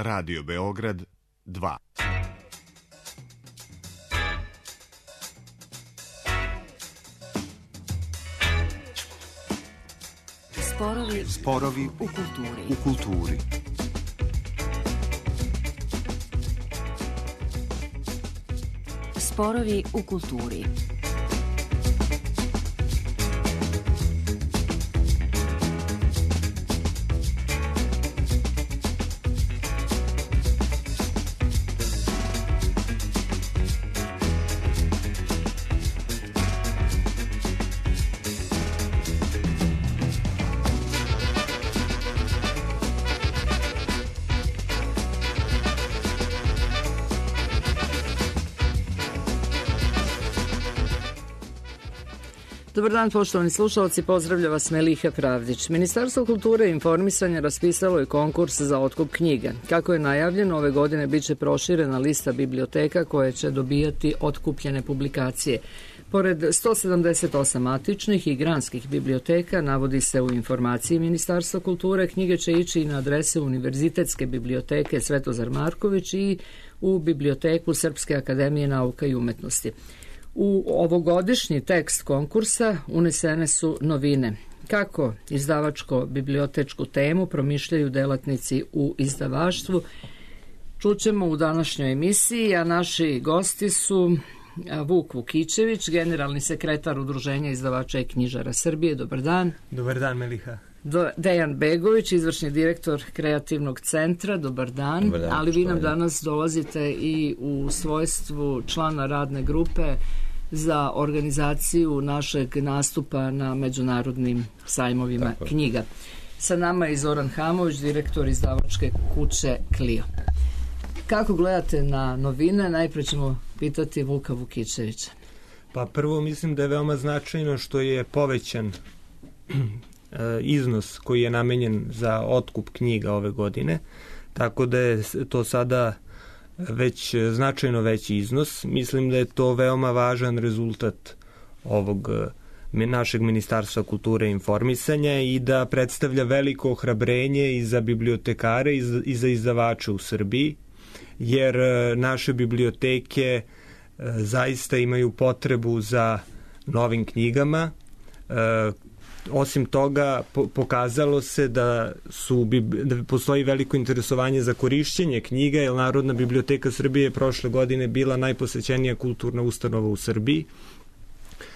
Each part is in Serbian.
Radio Beograd 2. Sporovi u kulturi. Sporovi u kulturi. Dobar dan, poštovani slušalci, pozdravlja vas Meliha Pravdić. Ministarstvo kulture i informisanja raspisalo je konkurs za otkup knjiga. Kako je najavljeno, ove godine biće proširena lista biblioteka koje će dobijati otkupljene publikacije. Pored 178 matičnih i granskih biblioteka, navodi se u informaciji Ministarstva kulture, knjige će ići i na adrese Univerzitetske biblioteke Svetozar Marković i u biblioteku Srpske akademije nauka i umetnosti. U ovogodišnji tekst konkursa unesene su novine. Kako izdavačko-bibliotečku temu promišljaju delatnici u izdavaštvu, čućemo u današnjoj emisiji, a naši gosti su Vuk Vukićević, generalni sekretar Udruženja izdavača i knjižara Srbije. Dobar dan. Dobar dan, Meliha. Dejan Begović, izvršni direktor Kreativnog centra. Dobar dan. Dobar dan, ali vi nam danas dolazite i u svojstvu člana radne grupe za organizaciju našeg nastupa na međunarodnim sajmovima knjiga. Sa nama je Zoran Hamović, direktor izdavačke kuće Clio. Kako gledate na novine? Najpre ćemo pitati Vuka Vukićevića. Pa prvo mislim da je veoma značajno što je povećan iznos koji je namenjen za otkup knjiga ove godine, tako da je to sada već značajno veći iznos. Mislim da je to veoma važan rezultat ovog našeg Ministarstva kulture i informisanja i da predstavlja veliko ohrabrenje i za bibliotekare i za izdavače u Srbiji, jer naše biblioteke zaista imaju potrebu za novim knjigama. Osim toga, pokazalo se da postoji veliko interesovanje za korišćenje knjiga, jer Narodna biblioteka Srbije je prošle godine bila najposećenija kulturna ustanova u Srbiji.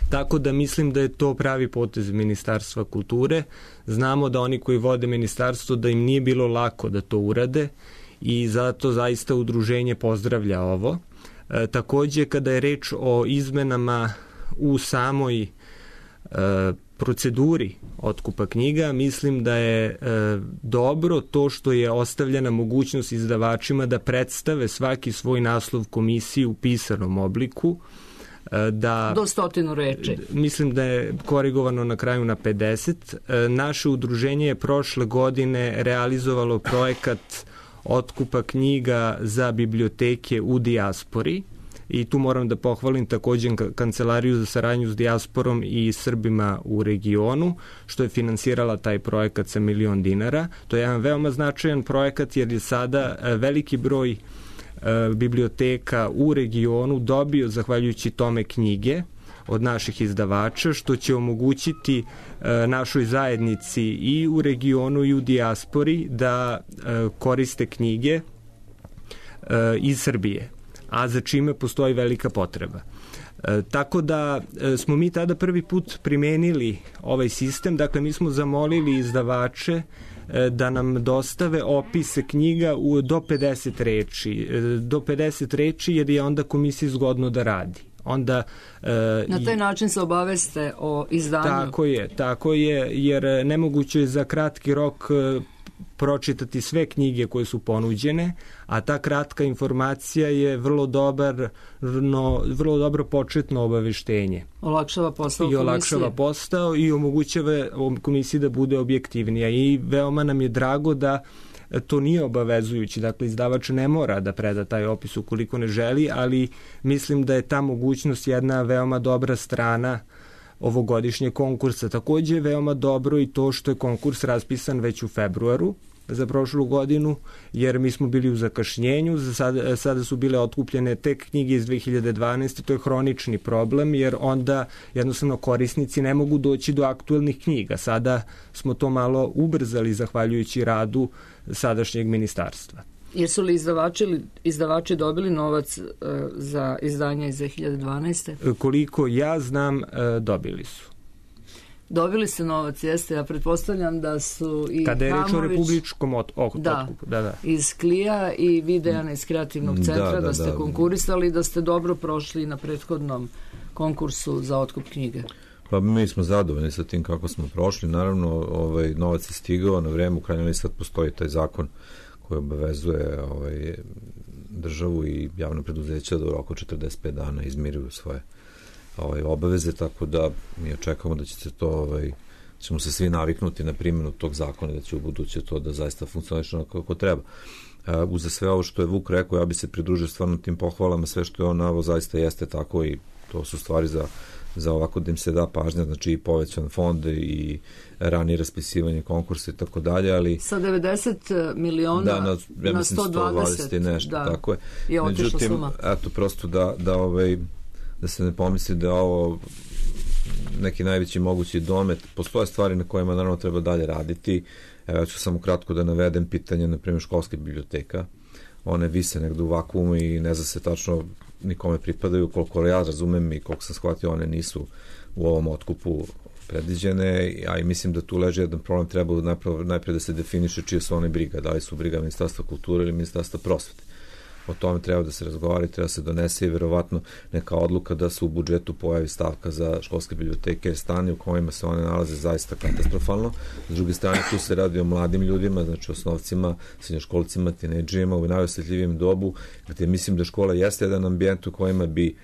Tako da mislim da je to pravi potez Ministarstva kulture. Znamo da oni koji vode ministarstvo, da im nije bilo lako da to urade i zato zaista udruženje pozdravlja ovo. Takođe, kada je reč o izmenama u samoj proceduri otkupa knjiga, mislim da je dobro to što je ostavljena mogućnost izdavačima da predstave svaki svoj naslov komisiji u pisanom obliku. Do 100 reči. Mislim da je korigovano na kraju na 50. Naše udruženje je prošle godine realizovalo projekat otkupa knjiga za biblioteke u dijaspori. I tu moram da pohvalim takođe Kancelariju za saradnju s dijasporom i Srbima u regionu, što je finansirala taj projekat sa $1.000.000. To je jedan veoma značajan projekat jer je sada veliki broj biblioteka u regionu dobio, zahvaljujući tome, knjige od naših izdavača, što će omogućiti našoj zajednici i u regionu i u dijaspori da koriste knjige iz Srbije, a za čime postoji velika potreba. Tako da smo mi tada prvi put primenili ovaj sistem. Dakle, mi smo zamolili izdavače da nam dostave opise knjiga do 50 reči. Do 50 reči jer je onda komisiji zgodno da radi. Onda, na taj način se obaveste o izdanju. Tako je, jer nemoguće je za kratki rok pročitati sve knjige koje su ponuđene, a ta kratka informacija je vrlo dobro početno obaveštenje. Olakšava posao i omogućava komisiji da bude objektivnija i veoma nam je drago da to nije obavezujući, dakle izdavač ne mora da preda taj opis ukoliko ne želi, ali mislim da je ta mogućnost jedna veoma dobra strana ovogodišnje konkursa. Takođe je veoma dobro i to što je konkurs raspisan već u februaru, za prošlu godinu, jer mi smo bili u zakašnjenju, sada su bile otkupljene tek knjige iz 2012. To je hronični problem, jer onda jednostavno korisnici ne mogu doći do aktuelnih knjiga. Sada smo to malo ubrzali zahvaljujući radu sadašnjeg ministarstva. Jesu li izdavači dobili novac za izdanje iz 2012. Koliko ja znam, dobili su. Dobili ste novac, jeste. Ja pretpostavljam da su i kada je reč o republičkom otkupu. Iz Klija i vi, Dejana, iz Kreativnog centra, da ste konkurisali i da ste dobro prošli na prethodnom konkursu za otkup knjige. Pa mi smo zadovoljni sa tim kako smo prošli. Naravno, novac je stigao na vreme. U krajnjoj liniji sad postoji taj zakon koji obavezuje državu i javno preduzeća da u roku 45 dana izmiruju svoje obaveze, tako da mi očekamo da će se to, ćemo se svi naviknuti na primjenu tog zakona, da će u buduće to da zaista funkcioniše kako treba. Uza sve ovo što je Vuk rekao, ja bi se pridružio stvarno tim pohvalama, sve što je on naveo zaista jeste tako i to su stvari za ovako da im se da pažnja, znači i povećan fond i ranije raspisivanje konkursa i tako dalje, ali sa 90 miliona na 120 i nešto, tako je. Je otišla suma. Eto, prosto da se ne pomisli da je ovo neki najveći mogući domet. Postoje stvari na kojima naravno treba dalje raditi. Ja ću samo kratko da navedem pitanje, na primjer, školske biblioteka. One vise negde u vakuumu i ne zna se tačno nikome pripadaju. Koliko ja razumem i koliko sam shvatio, one nisu u ovom otkupu predviđene, a i mislim da tu leži jedan problem, treba najpre da se definiše čije su one briga, da li su briga Ministarstva kulture ili Ministarstva prosvete. O tome treba da se razgovara i treba se donese i verovatno neka odluka da se u budžetu pojavi stavka za školske biblioteke, jer stanje u kojima se one nalaze zaista katastrofalno. S druge strane, tu se radi o mladim ljudima, znači osnovcima, srednjoškolcima, tinejdžerima u najosjetljivijem dobu, gde mislim da škola jeste jedan ambijent u kojima bi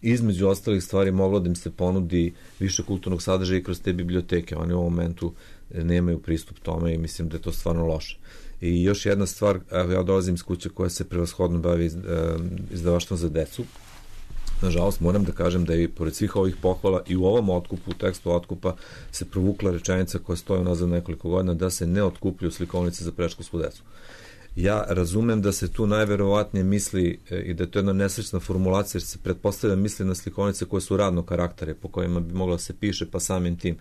između ostalih stvari moglo da im se ponudi više kulturnog sadržaja i kroz te biblioteke. Oni u ovom momentu nemaju pristup tome i mislim da je to stvarno loše. I još jedna stvar, ja dolazim iz kuće koja se prevashodno bavi izdavaštvom za decu. Nažalost, moram da kažem da je pored svih ovih pohvala i u ovom otkupu, u tekstu otkupa, se provukla rečenica koja stoji nazad nekoliko godina da se ne otkupljuju slikovnice za predškolsku decu. Ja razumem da se tu najverovatnije misli i da je to jedna nesrećna formulacija, jer se pretpostavlja misli na slikovnice koje su radnog karaktera, po kojima bi mogla se piše, pa samim tim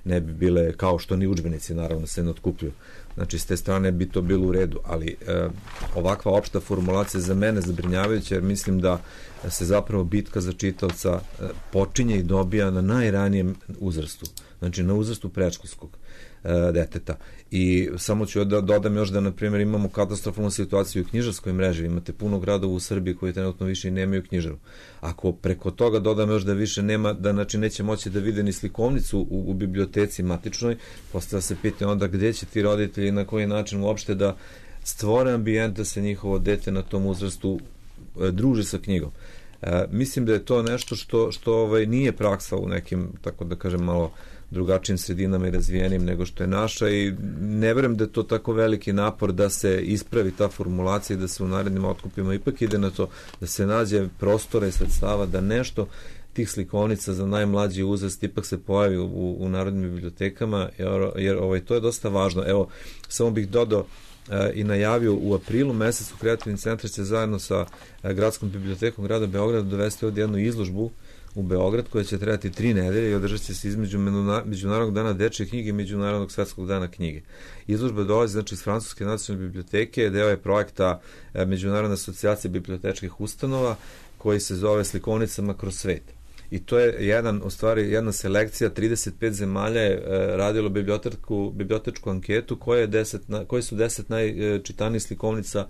ne bi bile, kao što ni udžbenici naravno se ne otkupljuju. Znači, s te strane bi to bilo u redu, ali ovakva opšta formulacija za mene zabrinjavajuća, jer mislim da se zapravo bitka za čitaoca počinje i dobija na najranijem uzrastu, znači na uzrastu predškolskog deteta. I samo ću da dodam još da, na primjer, imamo katastrofalnu situaciju u knjižarskoj mreži. Imate puno gradova u Srbiji koji trenutno više i nemaju knjižaru. Ako preko toga dodam još da više nema, da znači neće moći da vide ni slikovnicu u biblioteci matičnoj, postavlja se pitanje onda gde će ti roditelji i na koji način uopšte da stvore ambijent da se njihovo dete na tom uzrastu druži sa knjigom. Mislim da je to nešto što nije praksa u nekim, tako da kažem, malo drugačijim sredinama i razvijenim nego što je naša, i ne verujem da je to tako veliki napor da se ispravi ta formulacija i da se u narednim otkupima ipak ide na to da se nađe prostora i sredstava da nešto tih slikovnica za najmlađi uzrast ipak se pojavi u narodnim bibliotekama, jer to je dosta važno. Evo, samo bih dodao i najavio u aprilu mesecu Kreativni centar će zajedno sa Gradskom bibliotekom grada Beograda dovesti ovdje jednu izložbu u Beograd koja će trajati 3 nedelje i održat će se između Međunarodnog dana dečje knjige i Međunarodnog svetskog dana knjige. Izložba dolazi znači iz Francuske nacionalne biblioteke, deo je projekta Međunarodne asocijacije bibliotečkih ustanova koji se zove Slikovnicama kroz svet. I to je jedna selekcija, 35 zemalja je radilo bibliotečku anketu koje su 10 najčitanijih slikovnica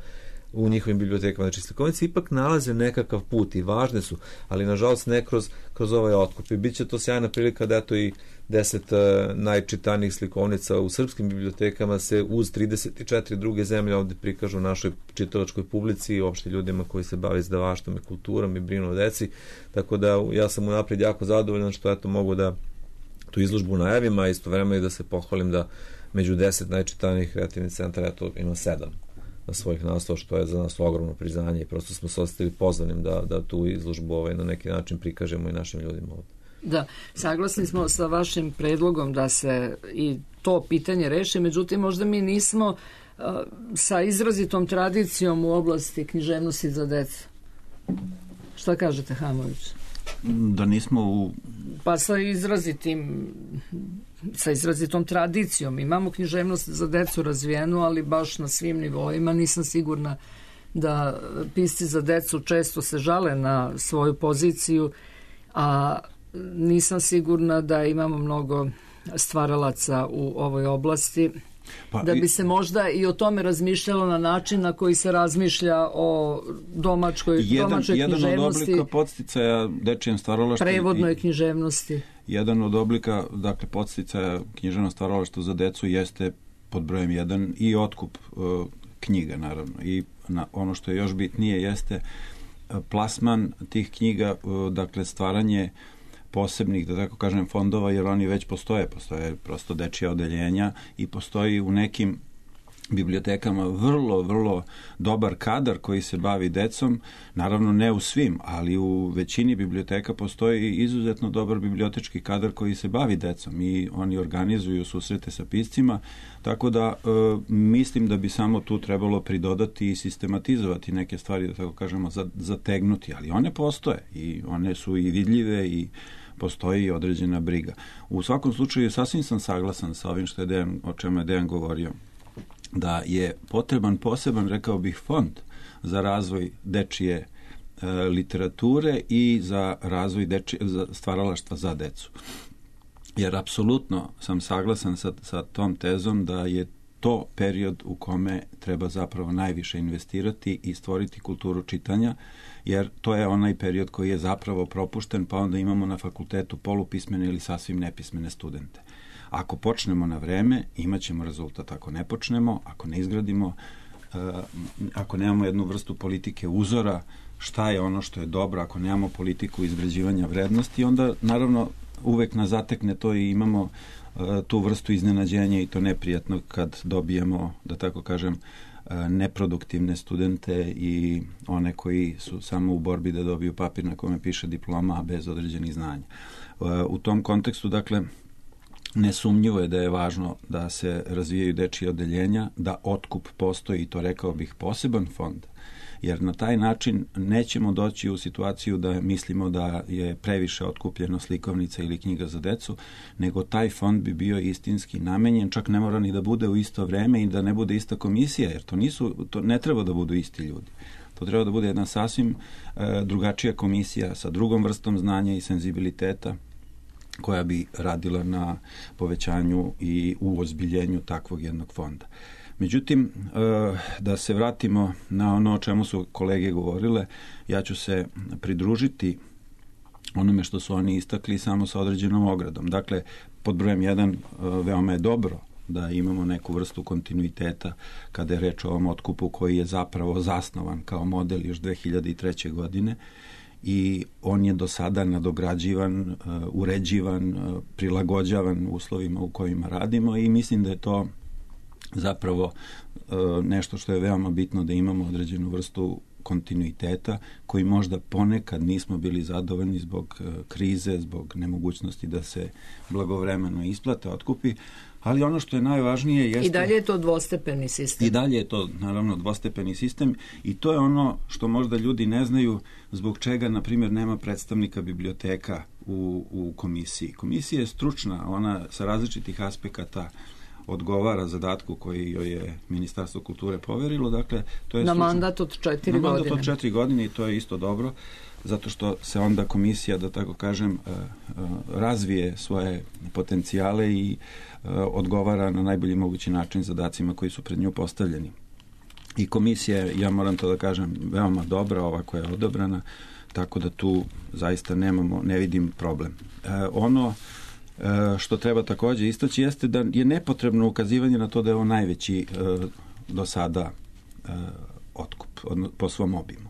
u njihovim bibliotekama. Znači, slikovnice ipak nalaze nekakav put i važne su, ali nažalost ne kroz ovaj otkup. I bit će to sjajna prilika da eto i 10 najčitanijih slikovnica u srpskim bibliotekama se uz 34 druge zemlje ovde prikažu našoj čitalačkoj publici i uopšte ljudima koji se bave izdavaštvom i kulturom i brinu o deci. Tako da ja sam unapred jako zadovoljan što eto mogu da tu izložbu najavim, a istovremeno i da se pohvalim da među 10 najčitanijih kreativnih centara eto ima 7 na svojih naslova, što je za nas ogromno priznanje i prosto smo se ostavili pozvanim da tu izložbu na neki način prikažemo i našim ljudima ovdje. Da, saglasni smo sa vašim predlogom da se i to pitanje reši, međutim možda mi nismo sa izrazitom tradicijom u oblasti književnosti za decu. Šta kažete, Hamović? Da nismo Pa sa izrazitom tradicijom. Imamo književnost za decu razvijenu, ali baš na svim nivoima. Nisam sigurna da pisci za decu često se žale na svoju poziciju, a nisam sigurna da imamo mnogo stvaralaca u ovoj oblasti. Da bi se možda i o tome razmišljalo na način na koji se razmišlja o domaćoj književnosti. Jedan od oblika podsticaja dečijem stvaralaštvu, prevodnoj književnosti. Jedan od oblika, dakle, podsticaja književnog stvaralaštva za decu jeste pod brojem 1 i otkup knjiga, naravno. I ono što je još bitnije jeste plasman tih knjiga, dakle, stvaranje posebnih, da tako kažem, fondova, jer oni već postoje prosto dečija odeljenja i postoji u nekim bibliotekama vrlo, vrlo dobar kadar koji se bavi decom, naravno ne u svim, ali u većini biblioteka postoji izuzetno dobar bibliotečki kadar koji se bavi decom i oni organizuju susrete sa piscima, tako da mislim da bi samo tu trebalo pridodati i sistematizovati neke stvari, da tako kažemo, zategnuti, ali one postoje i one su i vidljive i postoji određena briga. U svakom slučaju sasvim sam saglasan sa ovim o čemu je Dejan govorio, da je potreban poseban, rekao bih, fond za razvoj dečije literature i za razvoj stvaralaštva za decu. Jer apsolutno sam saglasan sa tom tezom da je to period u kome treba zapravo najviše investirati i stvoriti kulturu čitanja, jer to je onaj period koji je zapravo propušten, pa onda imamo na fakultetu polupismene ili sasvim nepismene studente. Ako počnemo na vreme, imat ćemo rezultat. Ako ne počnemo, ako ne izgradimo, ako nemamo jednu vrstu politike uzora, šta je ono što je dobro, ako nemamo politiku izgrađivanja vrednosti, onda naravno uvek nas zatekne to i imamo tu vrstu iznenađenja i to neprijatno kad dobijemo, da tako kažem, neproduktivne studente i one koji su samo u borbi da dobiju papir na kome piše diploma, a bez određenih znanja. U tom kontekstu, dakle, nesumnjivo je da je važno da se razvijaju dečije odeljenja, da otkup postoji i to, rekao bih, poseban fond, jer na taj način nećemo doći u situaciju da mislimo da je previše otkupljeno slikovnica ili knjiga za decu, nego taj fond bi bio istinski namenjen, čak ne mora ni da bude u isto vreme i da ne bude ista komisija, jer to ne treba da budu isti ljudi. To treba da bude jedna sasvim drugačija komisija sa drugom vrstom znanja i senzibiliteta, koja bi radila na povećanju i uozbiljenju takvog jednog fonda. Međutim, da se vratimo na ono o čemu su kolege govorile, ja ću se pridružiti onome što su oni istakli samo sa određenom ogradom. Dakle, pod brojem 1 veoma je dobro da imamo neku vrstu kontinuiteta kada je reč o ovom otkupu koji je zapravo zasnovan kao model još 2003. godine i on je do sada nadograđivan, uređivan, prilagođavan uslovima u kojima radimo i mislim da je to zapravo nešto što je veoma bitno, da imamo određenu vrstu kontinuiteta koji možda ponekad nismo bili zadovoljni zbog krize, zbog nemogućnosti da se blagovremeno isplate otkupi, ali ono što je najvažnije jeste... I dalje je to dvostepeni sistem. I dalje je to, naravno, dvostepeni sistem i to je ono što možda ljudi ne znaju zbog čega, na primjer, nema predstavnika biblioteka u komisiji. Komisija je stručna, ona sa različitih aspekata odgovara zadatku koji joj je Ministarstvo kulture poverilo. Dakle, to je na mandat od 4 godine. Na mandat od 4 godine i to je isto dobro, zato što se onda komisija, da tako kažem, razvije svoje potencijale i odgovara na najbolji mogući način zadacima koji su pred nju postavljeni. I komisija je, ja moram to da kažem, veoma dobra, ova koja je odabrana, tako da tu zaista ne vidim problem. Ono što treba također istaći jeste da je nepotrebno ukazivanje na to da je ovo najveći do sada otkup po svom obimu.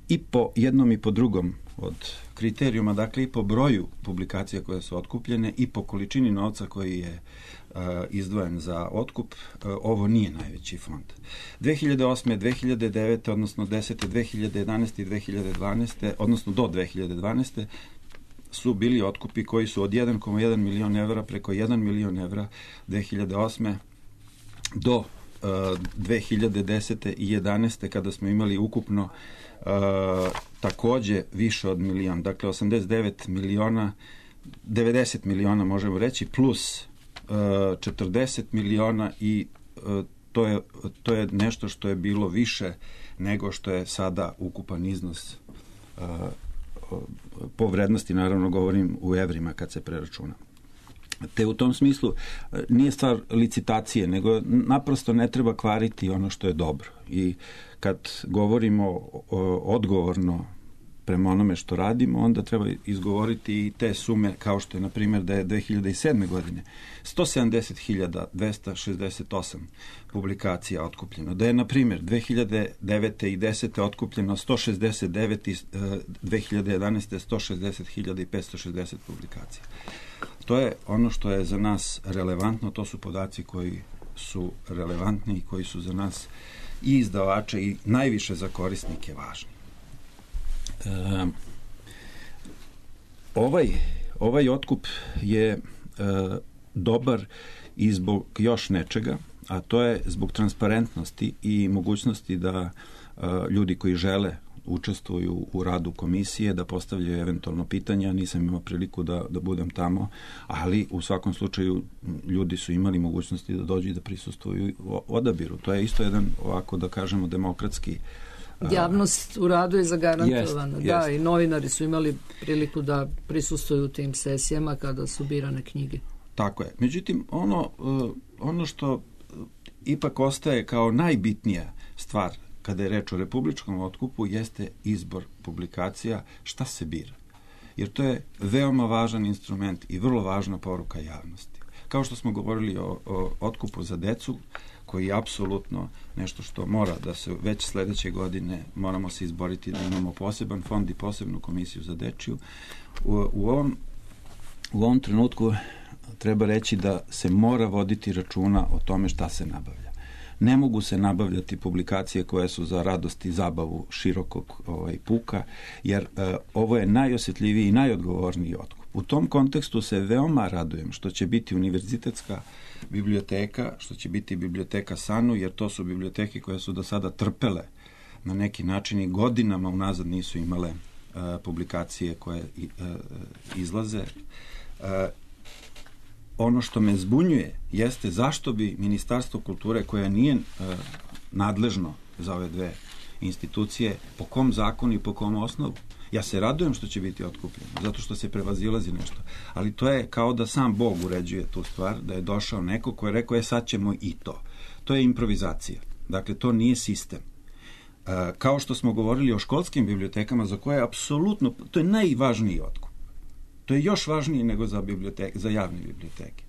I po jednom i po drugom od kriterijuma, dakle i po broju publikacija koje su otkupljene i po količini novca koji je izdvojen za otkup, ovo nije najveći fond. 2008. 2009. odnosno 10. 2011. i 2012. odnosno do 2012. su bili otkupi koji su od 1,1 milion evra preko 1 milion evra 2008. do 2010. i 11. kada smo imali ukupno takođe više od milion, dakle 89 miliona, 90 miliona možemo reći, plus 40 miliona i to je nešto što je bilo više nego što je sada ukupan iznos po vrednosti, naravno govorim u evrima kad se preračuna. Te u tom smislu nije stvar licitacije, nego naprosto ne treba kvariti ono što je dobro. I kad govorimo odgovorno prema onome što radimo, onda treba izgovoriti i te sume, kao što je, na primjer, da je 2007. godine 170.268 publikacija otkupljeno. Da je, na primjer, 2009. i 10. otkupljeno 169 i 2011. 160.560 publikacija. To je ono što je za nas relevantno, to su podaci koji su relevantni i koji su za nas i izdavače i najviše za korisnike važni. Ovaj otkup je dobar i zbog još nečega, a to je zbog transparentnosti i mogućnosti da ljudi koji žele učestvuju u radu komisije, da postavljaju eventualno pitanja. Nisam imao priliku da budem tamo, ali u svakom slučaju ljudi su imali mogućnosti da dođu i da prisustvuju odabiru. To je isto jedan, ovako da kažemo, demokratski. Javnost u radu je zagarantovana. Da, i novinari su imali priliku da prisustvuju tim sesijama kada su birane knjige. Tako je. Međutim, ono što ipak ostaje kao najbitnija stvar kada je reč o republičkom otkupu jeste izbor publikacija, šta se bira. Jer to je veoma važan instrument i vrlo važna poruka javnosti. Kao što smo govorili o otkupu za decu, koji je apsolutno nešto što mora da se već sledeće godine moramo se izboriti da imamo poseban fond i posebnu komisiju za dečiju. U ovom trenutku treba reći da se mora voditi računa o tome šta se nabavlja. Ne mogu se nabavljati publikacije koje su za radost i zabavu širokog puka, jer ovo je najosjetljiviji i najodgovorniji otkup. U tom kontekstu se veoma radujem što će biti univerzitetska biblioteka, što će biti biblioteka SANU, jer to su biblioteke koje su do sada trpele na neki način i godinama unazad nisu imale publikacije koje izlaze. Ono što me zbunjuje jeste zašto bi Ministarstvo kulture, koje nije nadležno za ove dve institucije, po kom zakonu i po kom osnovu. Ja se radujem što će biti otkupljeno, zato što se prevazilazi nešto. Ali to je kao da sam Bog uređuje tu stvar, da je došao neko ko je rekao, sad ćemo i to. To je improvizacija. Dakle, to nije sistem. Kao što smo govorili o školskim bibliotekama, za koje je apsolutno, to je najvažniji otkup. To je još važnije nego za javne biblioteke.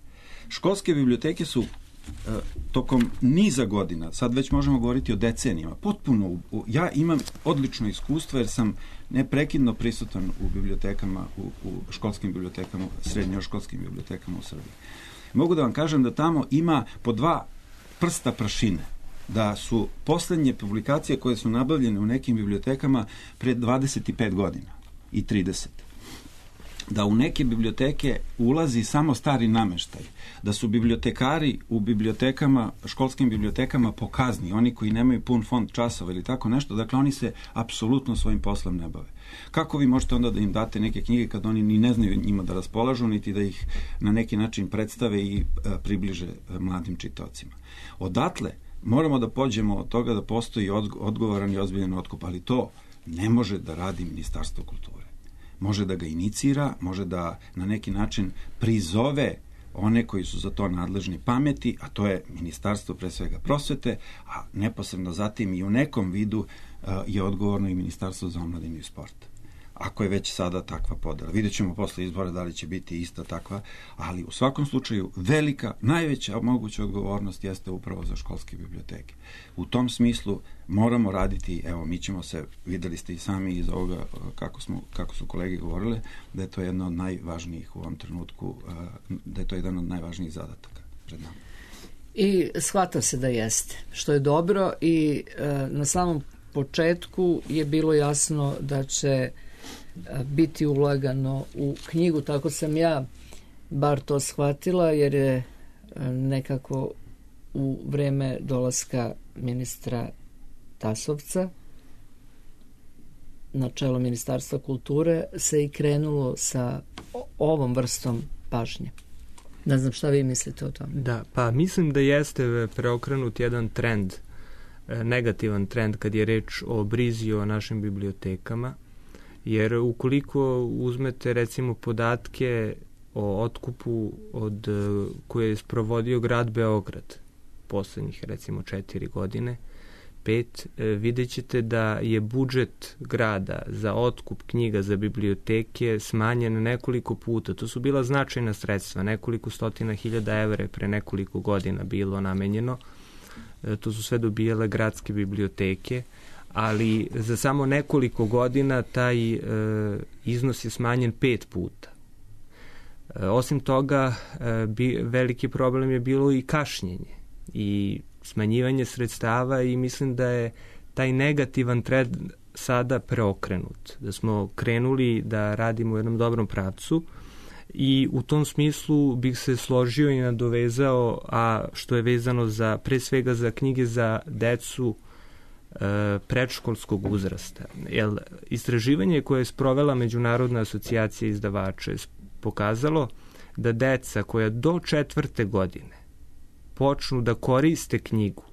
Školske biblioteke su tokom niza godina, sad već možemo govoriti o decenijama, potpuno, ja imam odlično iskustvo jer sam neprekidno prisutan u bibliotekama, u školskim bibliotekama, srednjoškolskim bibliotekama u Srbiji. Mogu da vam kažem da tamo ima po 2 prsta prašine, da su poslednje publikacije koje su nabavljene u nekim bibliotekama pred 25 godina i 30. Da u neke biblioteke ulazi samo stari nameštaj, da su bibliotekari u bibliotekama, školskim bibliotekama po kazni, oni koji nemaju pun fond časova ili tako nešto, dakle oni se apsolutno svojim poslom ne bave. Kako vi možete onda da im date neke knjige kad oni ni ne znaju njima da raspolažu, niti da ih na neki način predstave i približe mladim čitaocima? Odatle moramo da pođemo od toga da postoji odgovoran i ozbiljan otkup, ali to ne može da radi Ministarstvo kulture. Može da ga inicira, može da na neki način prizove one koji su za to nadležni pameti, a to je Ministarstvo pre svega prosvete, a neposredno zatim i u nekom vidu je odgovorno i Ministarstvo za omladinu i sport. Ako je već sada takva podela. Vidjet ćemo posle izbora da li će biti ista takva, ali u svakom slučaju velika, najveća moguća odgovornost jeste upravo za školske biblioteke. U tom smislu moramo raditi, evo mi ćemo se, videli ste i sami iz ovoga kako su kolege govorile, da je to jedno od najvažnijih u ovom trenutku, da je to jedan od najvažnijih zadataka pred nama. I shvata se da jeste, što je dobro i na samom početku je bilo jasno da će biti ulagano u knjigu, tako sam ja bar to shvatila, jer je nekako u vreme dolaska ministra Tasovca na čelo Ministarstva kulture se i krenulo sa ovom vrstom pažnje. Ne znam šta vi mislite o tome. Da, pa mislim da jeste preokrenut jedan trend, negativan trend kad je reč o brizi o našim bibliotekama, jer ukoliko uzmete recimo podatke o otkupu koje je sprovodio grad Beograd poslednjih recimo 4 godine, 5, vidjet ćete da je budžet grada za otkup knjiga za biblioteke smanjen nekoliko puta. To su bila značajna sredstva, nekoliko stotina hiljada evra pre nekoliko godina bilo namenjeno. To su sve dobijale gradske biblioteke, ali za samo nekoliko godina taj iznos je smanjen 5 puta. Osim toga, veliki problem je bilo i kašnjenje i smanjivanje sredstava i mislim da je taj negativan trend sada preokrenut, da smo krenuli da radimo u jednom dobrom pravcu i u tom smislu bih se složio i nadovezao, a što je vezano za, pre svega za knjige za decu predškolskog uzrasta. Jer istraživanje koje je sprovela Međunarodna asocijacija izdavača je pokazalo da deca koja do 4. godine počnu da koriste knjigu,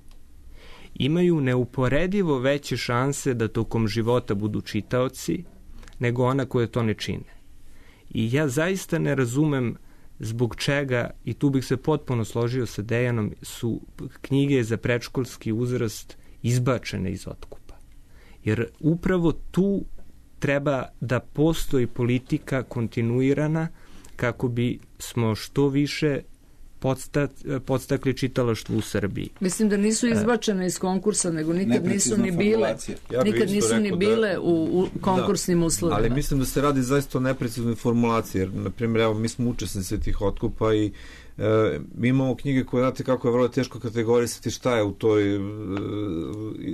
imaju neuporedivo veće šanse da tokom života budu čitaoci nego ona koje to ne čine. I ja zaista ne razumem zbog čega, i tu bih se potpuno složio sa Dejanom, su knjige za predškolski uzrast izbačene iz otkupa. Jer upravo tu treba da postoji politika kontinuirana kako bi smo što više podstakli čitalaštvo u Srbiji. Mislim da nisu izbačene iz konkursa, nego nikad nisu ni bile. Nikad nisu ni bile u konkursnim uslovima. Ali mislim da se radi zaista o nepreciznoj formulaciji, jer, na primjer, evo, mi smo učesnici tih otkupa i mi imamo knjige koje, znate kako je vrlo teško kategorisati šta je u toj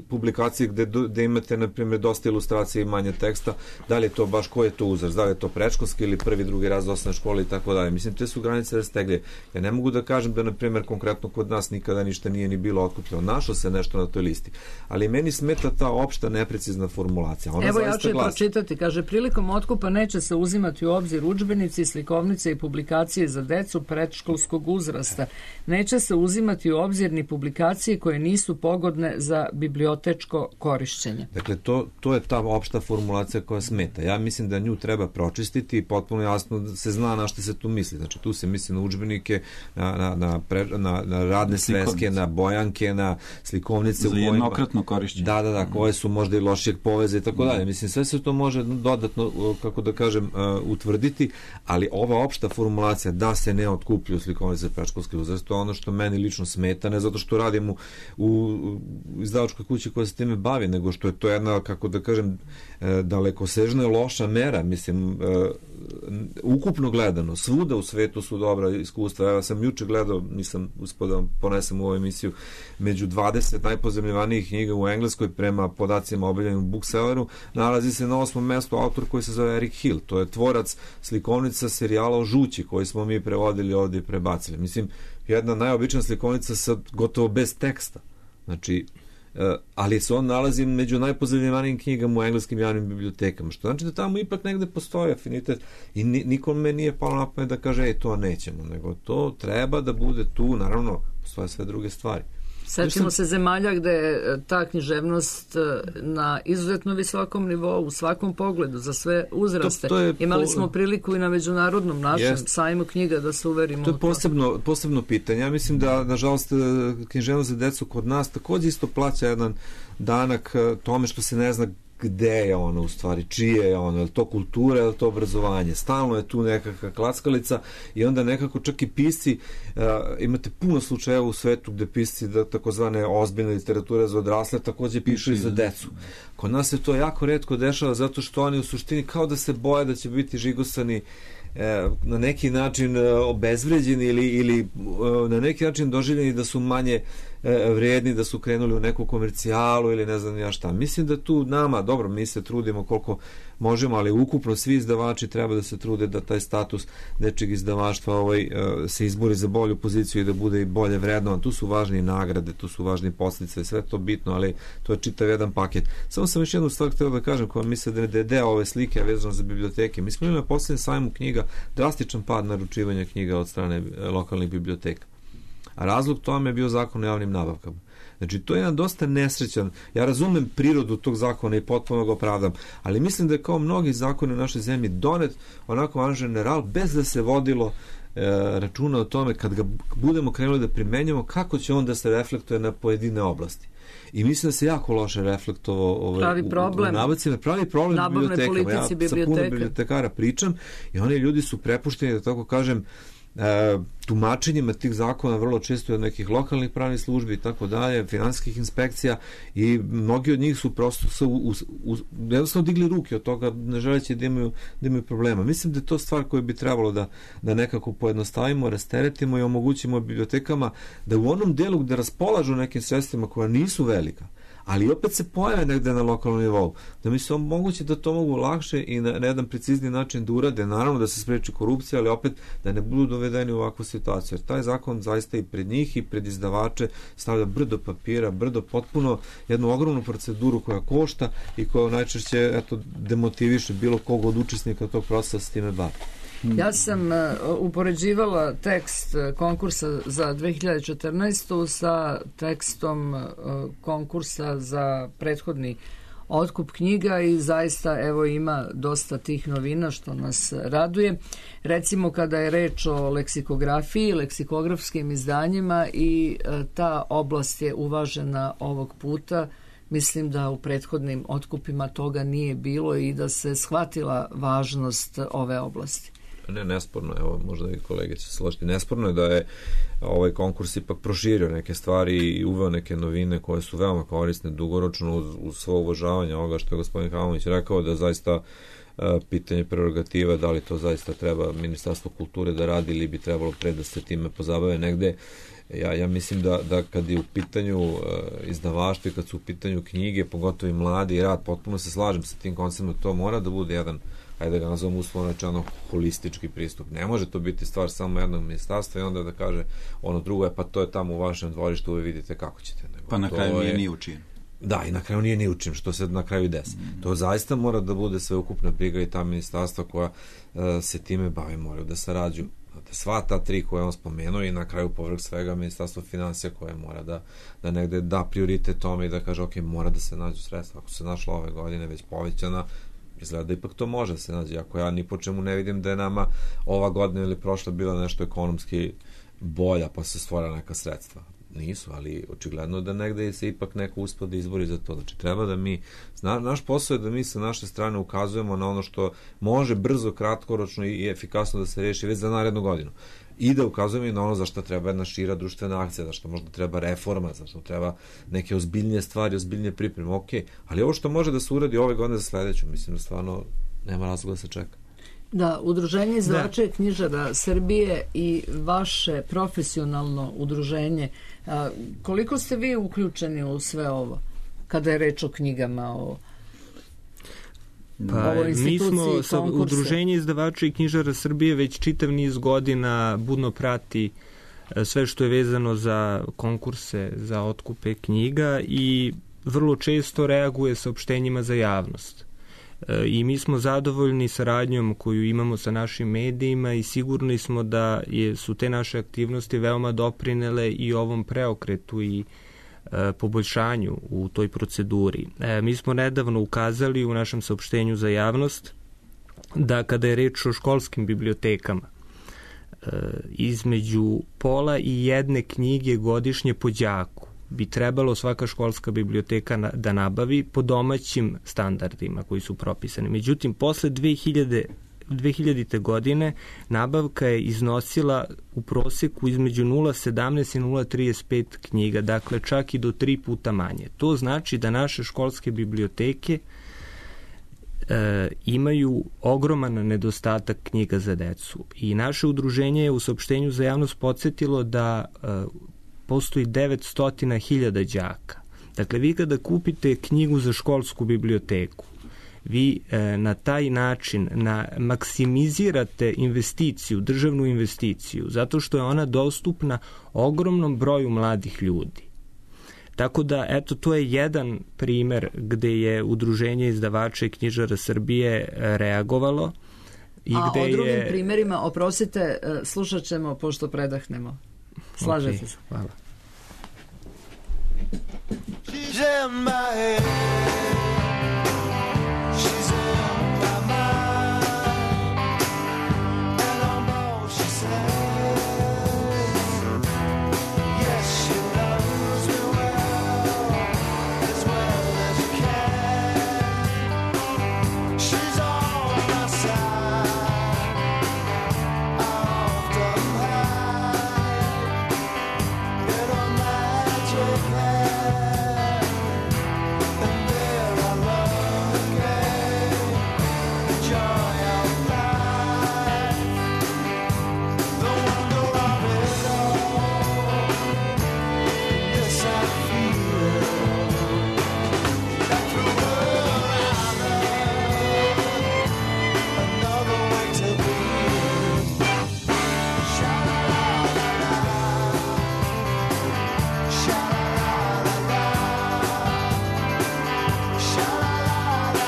publikaciji gde imate, na primjer, dosta ilustracije i manje teksta, da li je to baš, ko je to uzrast, da li je to predškolski ili 1. 2. razred osnovne škole i tako dalje. Mislim, te su granice rastegljive. Ja ne mogu da kažem da, na primjer, konkretno kod nas nikada ništa nije ni bilo otkupljeno. Našlo se nešto na toj listi. Ali meni smeta ta opšta neprecizna formulacija. Ona evo ja ću je pročitati. Kaže, prilikom otkupa neće se uzimati u obzir udžbenici, slikovnice i publikacije za decu predškolskog uzrasta. Neće se uzimati u obzir ni publikacije koje nisu pogodne za bibliotečko korišćenje. Dakle, to je ta opšta formulacija koja smeta. Ja mislim da nju treba pročistiti i potpuno jasno da se zna na što se tu misli. Znači, tu se misli na udžbenike, na radne sveske, na bojanke, na slikovnice. Za jednokratno korišćenje. Da, koje su možda i lošijeg poveza i tako dalje. Mislim, sve se to može dodatno, kako da kažem, utvrditi, ali ova opšta formulacija da se ne otkupljuju slikovnice predškolski uzrast, to je ono što meni lično smeta, ne zato što radim u izdavačkoj kući koja se time bavi, nego što je to jedna, kako da kažem, dalekosežna i loša mera. Mislim, ukupno gledano, svuda u svetu su dobra iskustva. Ja sam juče gledao, nisam uspio da ponesem u ovu emisiju, među 20 najpozemljivanijih knjiga u Engleskoj prema podacima objavljenim u Bookselleru nalazi se na 8. mestu autor koji se zove Eric Hill. To je tvorac slikovnica serijala o Žući koji smo mi prevodili ovdje i prebacili. Mislim, jedna najobična slikovnica sa gotovo bez teksta. Znači, ali se on nalazi među najpozemljivanijim knjigama u engleskim javnim bibliotekama, što znači da tamo ipak negde postoji afinitet i nikome nije palo na pamet da kaže to nećemo, nego to treba da bude tu, naravno postoje sve druge stvari. Sećamo se zemalja gde je ta književnost na izuzetno visokom nivou, u svakom pogledu, za sve uzraste. Imali smo priliku i na međunarodnom našem sajmu knjiga da se uverimo. To je posebno pitanje. Ja mislim da, nažalost, književnost za decu kod nas takođe isto plaća jedan danak tome što se ne zna gde je ono u stvari, čije je ono, je li to kultura, je li to obrazovanje. Stalno je tu nekakva klackalica i onda nekako čak i pisci, imate puno slučajeva u svetu gde pisci takozvane ozbiljne literature za odrasle takođe pišu i za decu. Kod nas se to jako retko dešava zato što oni u suštini kao da se boje da će biti žigosani, na neki način obezvređeni ili na neki način doživljeni da su manje vrijedni, da su krenuli u neku komercijalu ili ne znam ja šta. Mislim da tu nama, dobro, mi se trudimo koliko možemo, ali ukupno svi izdavači treba da se trude da taj status dečjeg izdavaštva se izbori za bolju poziciju i da bude i bolje vrednovan. Tu su važne i nagrade, tu su važni posljedice, sve to bitno, ali to je čitav jedan paket. Samo sam još jednu stvar htio da kažem, koja misle da je deo ove slike vezano za biblioteke. Mi smo imali na posljednjem sajmu knjiga drastičan pad naručivanja knjiga od strane lokalnih biblioteka. A razlog tome je bio zakon o javnim nabavkama. Znači, to je jedan dosta nesrećan, ja razumem prirodu tog zakona i potpuno ga opravdam, ali mislim da je kao mnogi zakoni u našoj zemlji donet onako an general, bez da se vodilo računa o tome kad ga budemo krenuli da primenjamo, kako će on da se reflektuje na pojedine oblasti. I mislim da se jako loše reflektovao pravi problem nabavne politici biblioteka. Sa puno bibliotekara pričam i oni ljudi su prepušteni, da tako kažem, tumačenjima tih zakona vrlo često od nekih lokalnih pravnih službi i tako dalje, finansijskih inspekcija, i mnogi od njih su prosto jednostavno digli ruke od toga, ne želeći da imaju problema. Mislim da je to stvar koju bi trebalo da nekako pojednostavimo, rasteretimo i omogućimo bibliotekama da u onom delu gde raspolažu nekim sredstvima koja nisu velika, ali opet se pojave negde na lokalnom nivou, da mi se omogući da to mogu lakše i na jedan precizni način da urade, naravno da se spreči korupcija, ali opet da ne budu dovedeni u ovakvu situaciju, jer taj zakon zaista i pred njih i pred izdavače stavlja brdo papira, brdo potpuno jednu ogromnu proceduru koja košta i koja najčešće demotiviše bilo kog od učesnika tog procesa s time bavi. Ja sam upoređivala tekst konkursa za 2014. sa tekstom konkursa za prethodni otkup knjiga i zaista ima dosta tih novina što nas raduje. Recimo kada je reč o leksikografiji, leksikografskim izdanjima, i ta oblast je uvažena ovog puta. Mislim da u prethodnim otkupima toga nije bilo i da se shvatila važnost ove oblasti. Nesporno je, možda i kolege će se složiti, nesporno je da je ovaj konkurs ipak proširio neke stvari i uveo neke novine koje su veoma korisne dugoročno uz svo uvažavanje ovoga što je gospodin Hamović rekao, da zaista pitanje prerogativa, da li to zaista treba Ministarstvo kulture da radi ili bi trebalo pre da se time pozabave negde. Ja mislim da kad je u pitanju izdavaštvo i kad su u pitanju knjige, pogotovo i mladi rad, potpuno se slažem sa tim konceptom, to mora da bude jedan, ajde da ga nazovem uslovno rečeno, holistički pristup. Ne može to biti stvar samo jednog ministarstva i onda da kaže ono drugo je pa to je tamo u vašem dvorištu, vi vidite kako ćete. Pa na kraju nije ni učin. Da, i na kraju nije ni učin, što se na kraju desi. To zaista mora da bude sveukupna briga i ta ministarstva koja se time bavi moraju da sarađuju. Sva ta tri koje on spomenuo i na kraju povrh svega Ministarstvo financija koje mora da negde da prioritet tome i da kaže ok, mora da se nađu sredstva. Ako se našla ove godine već povećana, izgleda da ipak to može da se nađe. Ako ja ni po čemu ne vidim da je nama ova godina ili prošla bila nešto ekonomski bolja pa se stvora neka sredstva. Nisu, ali očigledno da negde se ipak neko uspio da izbori za to. Znači treba da mi, naš posao je da mi sa naše strane ukazujemo na ono što može brzo, kratkoročno i efikasno da se reši već za narednu godinu. I da ukazujemo i na ono za što treba jedna šira društvena akcija, za što možda treba reforma, za što treba neke ozbiljnije stvari, ozbiljnije pripreme, ok, ali ovo što može da se uradi ove godine za sledeću, mislim da stvarno nema razloga da se čeka. Da, Udruženje izdavača i knjižara Srbije i vaše profesionalno udruženje, koliko ste vi uključeni u sve ovo kada je reč o knjigama, o ovoj instituciji konkursa? Mi smo Udruženje izdavača i knjižara Srbije već čitav niz godina budno prati sve što je vezano za konkurse za otkupe knjiga i vrlo često reaguje saopštenjima za javnost. I mi smo zadovoljni saradnjom koju imamo sa našim medijima i sigurni smo da su te naše aktivnosti veoma doprinele i ovom preokretu i poboljšanju u toj proceduri. Mi smo nedavno ukazali u našem saopštenju za javnost da kada je reč o školskim bibliotekama, između pola i jedne knjige godišnje po đaku bi trebalo svaka školska biblioteka da nabavi po domaćim standardima koji su propisani. Međutim, posle 2000. godine nabavka je iznosila u proseku između 0,17 i 0,35 knjiga, dakle čak i do 3 puta manje. To znači da naše školske biblioteke imaju ogroman nedostatak knjiga za decu. I naše udruženje je u saopštenju za javnost podsjetilo da postoji 900.000 đaka. Dakle, vi kada kupite knjigu za školsku biblioteku, vi na taj način maksimizirate investiciju, državnu investiciju, zato što je ona dostupna ogromnom broju mladih ljudi. Tako da, eto, to je jedan primer gde je Udruženje izdavača i knjižara Srbije reagovalo. A o drugim primerima, oprostite, slušat ćemo pošto predahnemo. Slažete se? Hvala. She's in my head. She's in my mind. And I'm all she says. Yes, she loves me well as you can. She's on my side. I often hide in a magic hand. And there I love again. The joy of life, the wonder of it all. Yes, I feel that through her I love another way to be. Sha-la-la-la-la, sha-la-la-la-la,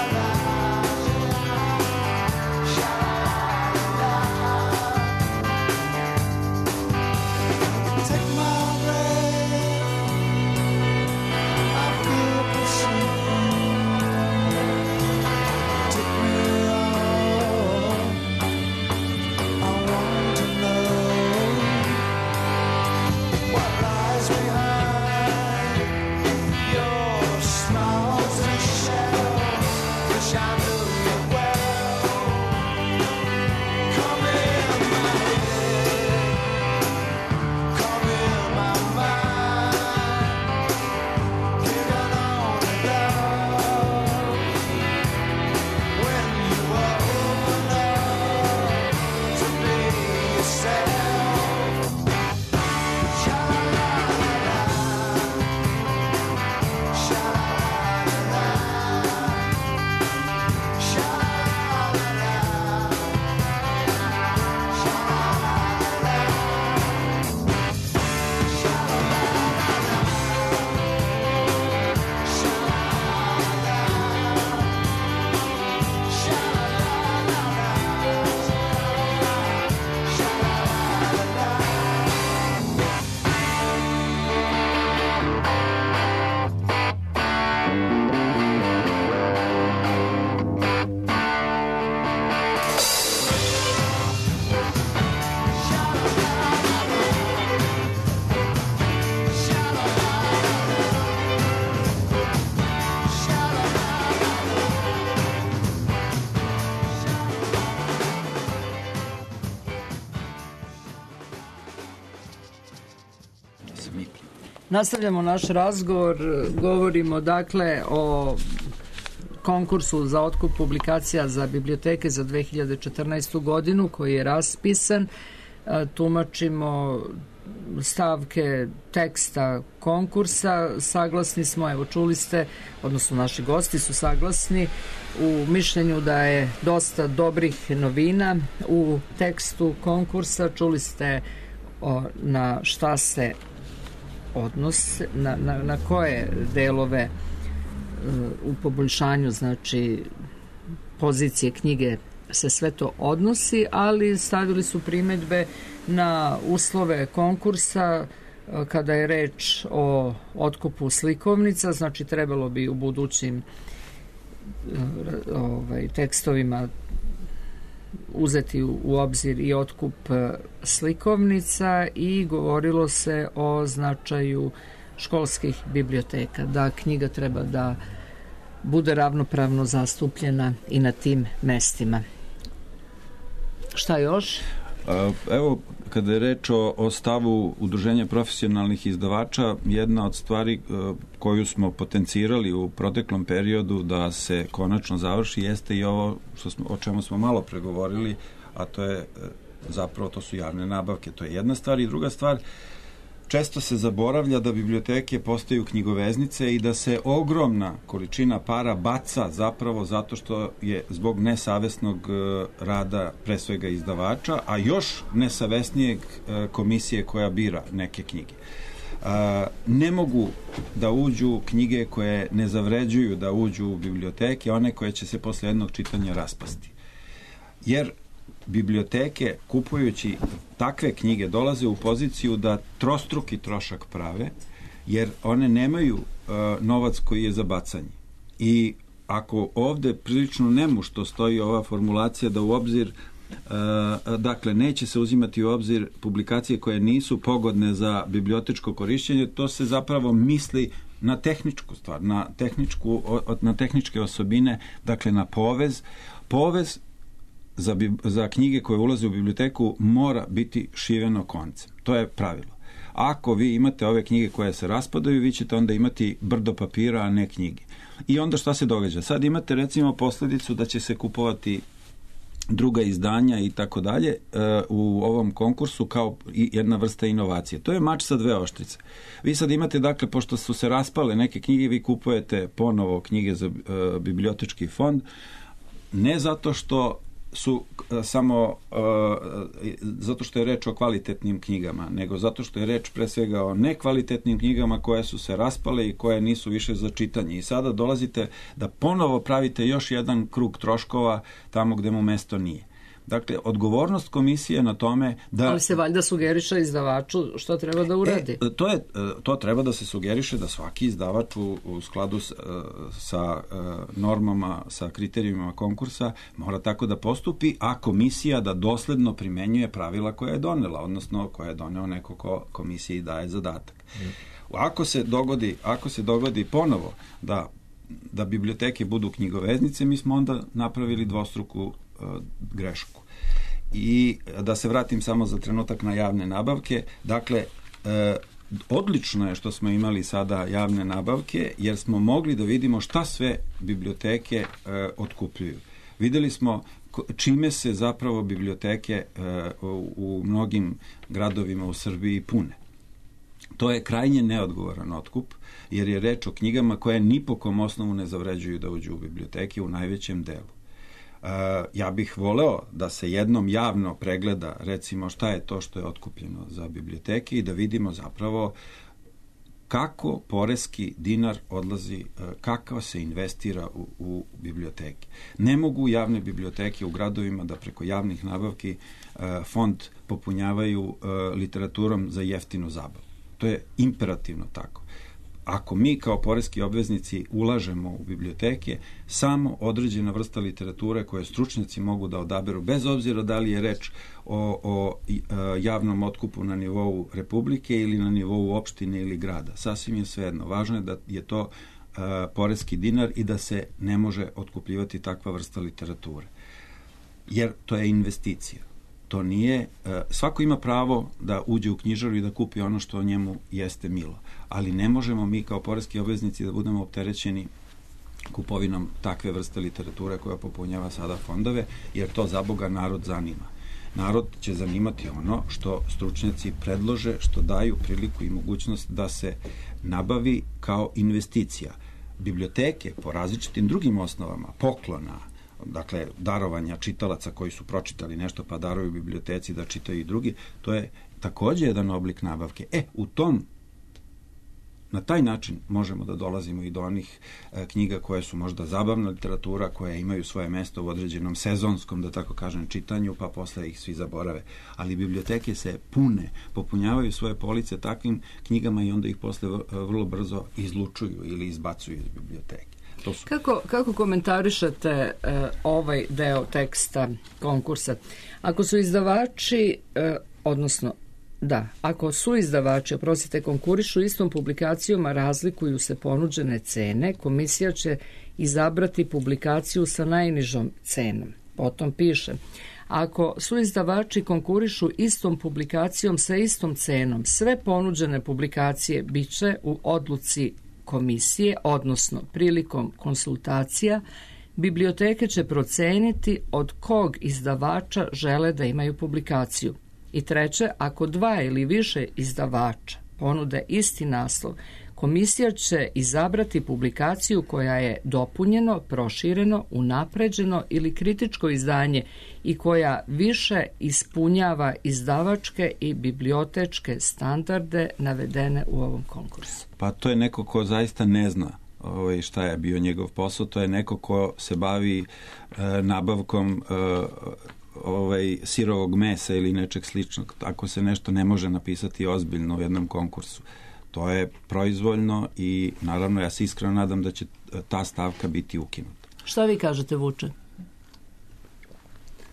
sha-la-la-la-la, sha-la-la-la. Take my breath, I feel pursued. Take me on, I want to know what lies behind your smiles and shadows. Wish I knew you well. Come in my head, come in my mind. Hidden on and love when you open up to be yourself. Sha-la-la-la-la, sha-la-la-la, Nastavljamo naš razgovor, govorimo dakle o konkursu za otkup publikacija za biblioteke za 2014. godinu koji je raspisan. Tumačimo stavke teksta konkursa, saglasni smo, evo čuli ste, odnosno naši gosti su saglasni u mišljenju da je dosta dobrih novina u tekstu konkursa. Čuli ste na šta se odnose, na koje delove u poboljšanju, znači pozicije knjige se sve to odnosi, ali stavili su primedbe na uslove konkursa kada je reč o otkupu slikovnica, znači trebalo bi u budućim tekstovima uzeti u obzir i otkup slikovnica i govorilo se o značaju školskih biblioteka, da knjiga treba da bude ravnopravno zastupljena i na tim mestima. Šta još? Evo, kada je reč o stavu Udruženja profesionalnih izdavača, jedna od stvari koju smo potencirali u proteklom periodu da se konačno završi jeste i ovo o čemu smo malo pregovorili, a to je zapravo to su javne nabavke. To je jedna stvar i druga stvar, često se zaboravlja da biblioteke postaju knjigoveznice i da se ogromna količina para baca zapravo zato što je zbog nesavesnog rada pre svega izdavača, a još nesavesnijeg komisije koja bira neke knjige. Ne mogu da uđu knjige koje ne zavređuju da uđu u biblioteke, one koje će se posle jednog čitanja raspasti. Jer biblioteke, kupujući takve knjige, dolaze u poziciju da trostruki trošak prave, jer one nemaju novac koji je za bacanje. I ako ovde prilično nemušto stoji ova formulacija da u obzir, dakle, neće se uzimati u obzir publikacije koje nisu pogodne za bibliotečko korišćenje, to se zapravo misli na tehničku stvar, na tehničke osobine, dakle na povez. Povez za knjige koje ulaze u biblioteku mora biti šiveno koncem. To je pravilo. Ako vi imate ove knjige koje se raspadaju, vi ćete onda imati brdo papira, a ne knjige. I onda šta se događa? Sad imate recimo posledicu da će se kupovati druga izdanja i tako dalje u ovom konkursu kao jedna vrsta inovacije. To je mač sa dve oštrice. Vi sad imate, dakle, pošto su se raspale neke knjige, vi kupujete ponovo knjige za bibliotečki fond, ne zato što su samo zato što je reč o kvalitetnim knjigama, nego zato što je reč pre svega o nekvalitetnim knjigama koje su se raspale i koje nisu više za čitanje. I sada dolazite da ponovo pravite još jedan krug troškova tamo gde mu mesto nije. Dakle, odgovornost komisije na tome da... Ali se valjda sugeriše izdavaču što treba da uradi. To treba da se sugeriše da svaki izdavač u skladu sa normama, sa kriterijumima konkursa mora tako da postupi, a komisija da dosledno primenjuje pravila koje je donela, odnosno koje je doneo neko ko komisiji daje zadatak. Ako se dogodi ponovo da biblioteke budu knjigoveznice, mi smo onda napravili dvostruku grešku. I da se vratim samo za trenutak na javne nabavke. Dakle, odlično je što smo imali sada javne nabavke, jer smo mogli da vidimo šta sve biblioteke otkupljuju. Videli smo čime se zapravo biblioteke u mnogim gradovima u Srbiji pune. To je krajnje neodgovoran otkup, jer je reč o knjigama koje ni po kom osnovu ne zavređuju da uđu u biblioteke u najvećem delu. Ja bih voleo da se jednom javno pregleda, recimo, šta je to što je otkupljeno za biblioteke i da vidimo zapravo kako poreski dinar odlazi, kako se investira u biblioteke. Ne mogu javne biblioteke u gradovima da preko javnih nabavki fond popunjavaju literaturom za jeftinu zabavu. To je imperativno tako. Ako mi kao poreski obveznici ulažemo u biblioteke, samo određena vrsta literature koje stručnjaci mogu da odaberu, bez obzira da li je reč o javnom otkupu na nivou Republike ili na nivou opštine ili grada. Sasvim je svejedno. Važno je da je to poreski dinar i da se ne može otkupljivati takva vrsta literature. Jer to je investicija. To nije, svako ima pravo da uđe u knjižaru i da kupi ono što njemu jeste milo, ali ne možemo mi kao poreski obveznici da budemo opterećeni kupovinom takve vrste literature koja popunjava sada fondove, jer to za Boga narod zanima. Narod će zanimati ono što stručnjaci predlože, što daju priliku i mogućnost da se nabavi kao investicija. Biblioteke po različitim drugim osnovama, poklona, dakle, darovanja čitalaca koji su pročitali nešto pa daruju biblioteci da čitaju i drugi, to je takođe jedan oblik nabavke. Na taj način možemo da dolazimo i do onih knjiga koje su možda zabavna literatura, koje imaju svoje mesto u određenom sezonskom, da tako kažem, čitanju, pa posle ih svi zaborave. Ali biblioteke se pune, popunjavaju svoje police takvim knjigama i onda ih posle vrlo brzo izlučuju ili izbacuju iz biblioteke. Kako komentarišete ovaj deo teksta konkursa? Ako su izdavači, konkurišu istom publikacijom, a razlikuju se ponuđene cene, komisija će izabrati publikaciju sa najnižom cenom. Potom piše, ako su izdavači konkurišu istom publikacijom sa istom cenom, sve ponuđene publikacije biće u odluci komisije, odnosno prilikom konsultacija, biblioteke će proceniti od kog izdavača žele da imaju publikaciju. I treće, ako dva ili više izdavača ponude isti naslov, komisija će izabrati publikaciju koja je dopunjeno, prošireno, unapređeno ili kritičko izdanje i koja više ispunjava izdavačke i bibliotečke standarde navedene u ovom konkursu. Pa to je neko ko zaista ne zna šta je bio njegov posao, to je neko ko se bavi nabavkom sirovog mesa ili nečeg sličnog. Tako se nešto ne može napisati ozbiljno u jednom konkursu. To je proizvoljno i naravno ja se iskreno nadam da će ta stavka biti ukinuta. Šta vi kažete, Vuče?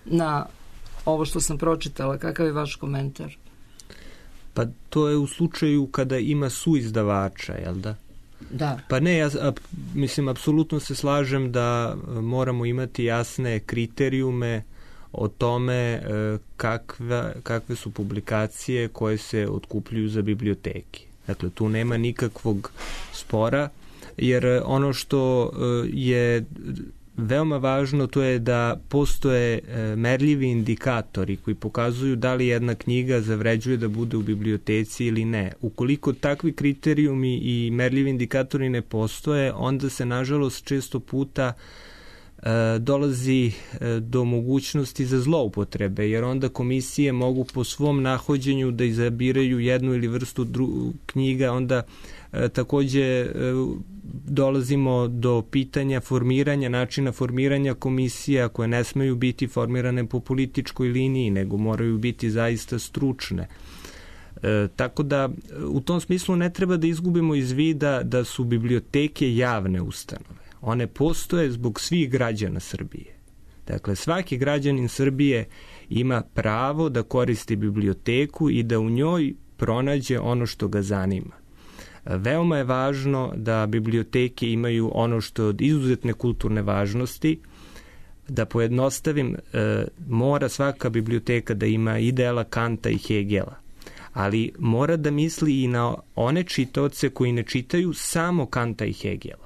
Na ovo što sam pročitala, kakav je vaš komentar? Pa to je u slučaju kada ima suizdavača, jel da? Da. Pa ne, ja mislim, apsolutno se slažem da moramo imati jasne kriterijume o tome kakve su publikacije koje se otkupljuju za biblioteke. Dakle, tu nema nikakvog spora, jer ono što je veoma važno to je da postoje merljivi indikatori koji pokazuju da li jedna knjiga zavređuje da bude u biblioteci ili ne. Ukoliko takvi kriterijumi i merljivi indikatori ne postoje, onda se nažalost često puta dolazi do mogućnosti za zloupotrebe, jer onda komisije mogu po svom nahođenju da izabiraju jednu ili vrstu knjiga, onda takođe dolazimo do pitanja formiranja, načina formiranja komisija koje ne smeju biti formirane po političkoj liniji, nego moraju biti zaista stručne. Tako da u tom smislu ne treba da izgubimo iz vida da su biblioteke javne ustanove. One postoje zbog svih građana Srbije. Dakle, svaki građanin Srbije ima pravo da koristi biblioteku i da u njoj pronađe ono što ga zanima. Veoma je važno da biblioteke imaju ono što je od izuzetne kulturne važnosti. Da pojednostavim, mora svaka biblioteka da ima i dela Kanta i Hegela, ali mora da misli i na one čitaoce koji ne čitaju samo Kanta i Hegela.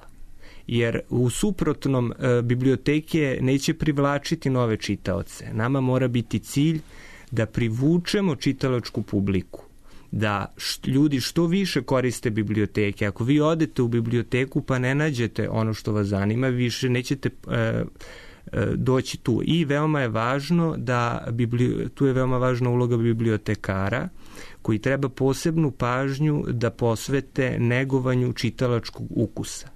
Jer u suprotnom biblioteke neće privlačiti nove čitaoce. Nama mora biti cilj da privučemo čitalačku publiku, da ljudi što više koriste biblioteke. Ako vi odete u biblioteku pa ne nađete ono što vas zanima, više nećete doći tu. I veoma je važno tu je veoma važna uloga bibliotekara, koji treba posebnu pažnju da posvete negovanju čitalačkog ukusa.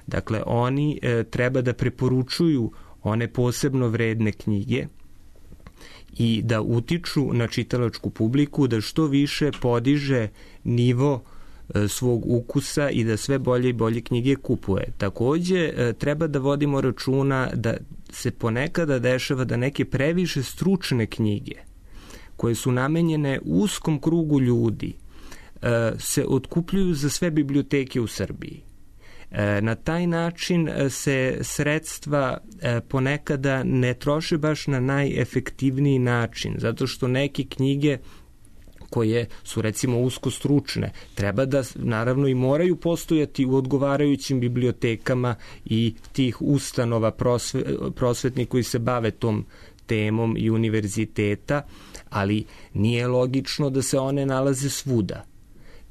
Dakle, oni treba da preporučuju one posebno vredne knjige i da utiču na čitalačku publiku, da što više podiže nivo svog ukusa i da sve bolje i bolje knjige kupuje. Takođe, treba da vodimo računa da se ponekada dešava da neke previše stručne knjige koje su namenjene uskom krugu ljudi se otkupljuju za sve biblioteke u Srbiji. Na taj način se sredstva ponekada ne troše baš na najefektivniji način, zato što neke knjige koje su recimo usko stručne treba da naravno i moraju postojati u odgovarajućim bibliotekama i tih ustanova prosvetnih koji se bave tom temom i univerziteta, ali nije logično da se one nalaze svuda.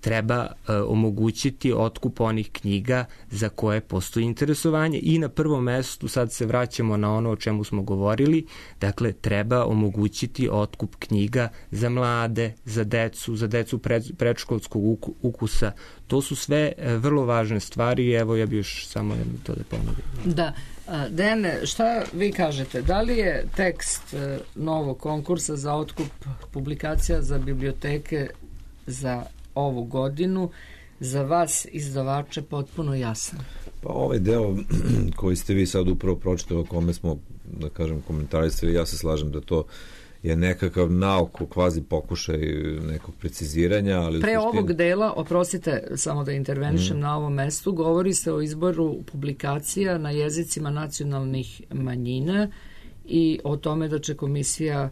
Treba omogućiti otkup onih knjiga za koje postoji interesovanje i na prvom mestu, sad se vraćamo na ono o čemu smo govorili, dakle treba omogućiti otkup knjiga za mlade, za decu predškolskog ukusa. To su sve vrlo važne stvari i evo ja bih još samo jedno to da ponovim. Da. Dejane, šta vi kažete? Da li je tekst novog konkursa za otkup publikacija za biblioteke za ovu godinu za vas izdavače potpuno jasan? Pa ovaj deo koji ste vi sad upravo pročitali, o kome smo, da kažem, komentarisali, ja se slažem da to je nekakav nauk, kvazi pokušaj nekog preciziranja, ali pre ovog dela, oprostite, samo da intervenišem na ovom mestu, govori se o izboru publikacija na jezicima nacionalnih manjina i o tome da će komisija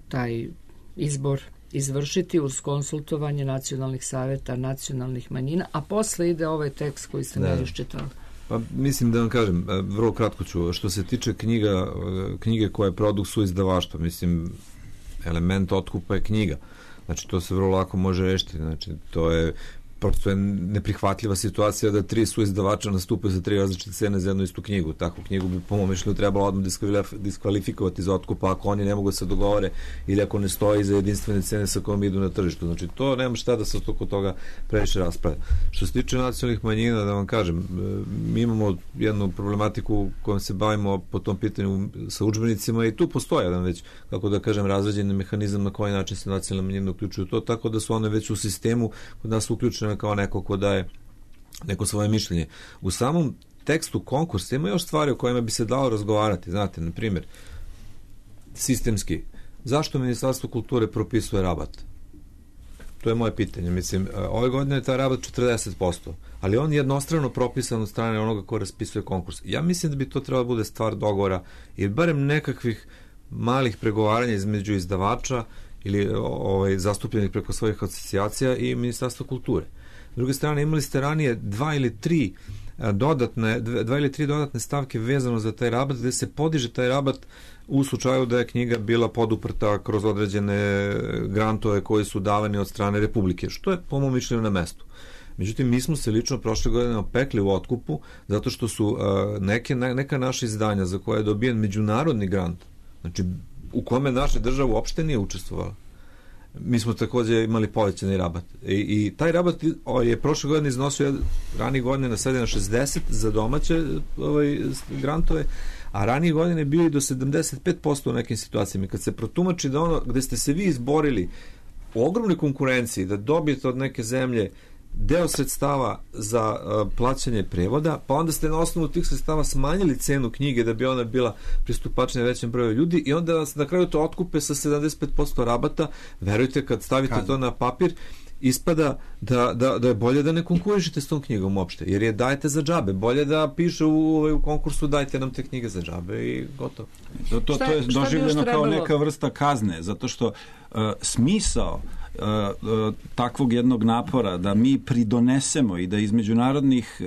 taj izbor izvršiti uz konsultovanje nacionalnih saveta nacionalnih manjina, a posle ide ovaj tekst koji ste mi iščitali. Pa mislim da vam kažem, vrlo kratko ću, što se tiče knjige koja je produkt suizdavaštva, mislim, element otkupa je knjiga. Znači, to se vrlo lako može rešiti. Znači, to je prosto je neprihvatljiva situacija da 3 su izdavača nastupaju za 3 različite cene za jednu istu knjigu. Takvu knjigu bi po mom mišljenju trebalo odmah diskvalifikovati za otkup ako oni ne mogu da se dogovore ili ako ne stoji za jedinstvene cene sa kojom idu na tržištu. Znači, to nema šta da se oko toga previše raspravlja. Što se tiče nacionalnih manjina, da vam kažem, mi imamo jednu problematiku kojom se bavimo po tom pitanju sa udžbenicima i tu postoji jedan već, kako da kažem, razrađeni mehanizam na koji način se nacionalne manjine uključuju to, tako da su one već u sistemu kod nas uključene kao neko ko daje neko svoje mišljenje. U samom tekstu konkursa ima još stvari o kojima bi se dalo razgovarati. Znate, na primjer, sistemski, zašto Ministarstvo kulture propisuje rabat? To je moje pitanje. Mislim, ove godine je taj rabat 40%, ali on je jednostrano propisan od strane onoga ko raspisuje konkurs. Ja mislim da bi to trebalo bude stvar dogovora ili barem nekakvih malih pregovaranja između izdavača ili zastupljenih preko svojih asocijacija i Ministarstva kulture. S druge strane, imali ste ranije 2 ili 3 dodatne stavke vezano za taj rabat, gde se podiže taj rabat u slučaju da je knjiga bila poduprta kroz određene grantove koji su davani od strane Republike, što je po mom mišljenju na mestu. Međutim, mi smo se lično prošle godine opekli u otkupu zato što su neka naša izdanja za koje je dobijen međunarodni grant, znači u kome naša država uopšte nije učestvovala. Mi smo takođe imali povećani rabat. I taj rabat je prošle godine iznosio ranije godine na 60 za domaće grantove, a ranije godine je bio i do 75% u nekim situacijama. Kad se protumači da ono gde ste se vi izborili u ogromnoj konkurenciji da dobijete od neke zemlje deo sredstava za plaćanje prevoda, pa onda ste na osnovu tih sredstava smanjili cenu knjige da bi ona bila pristupačnija većem broju ljudi i onda vas na kraju to otkupe sa 75% rabata. Verujte, kad stavite to na papir, ispada da je bolje da ne konkurišete s tom knjigom uopšte, jer je dajete za džabe. Bolje da piše u konkursu dajte nam te knjige za džabe i gotovo. To je doživljeno kao neka vrsta kazne, zato što smisao takvog jednog napora da mi pridonesemo i da iz međunarodnih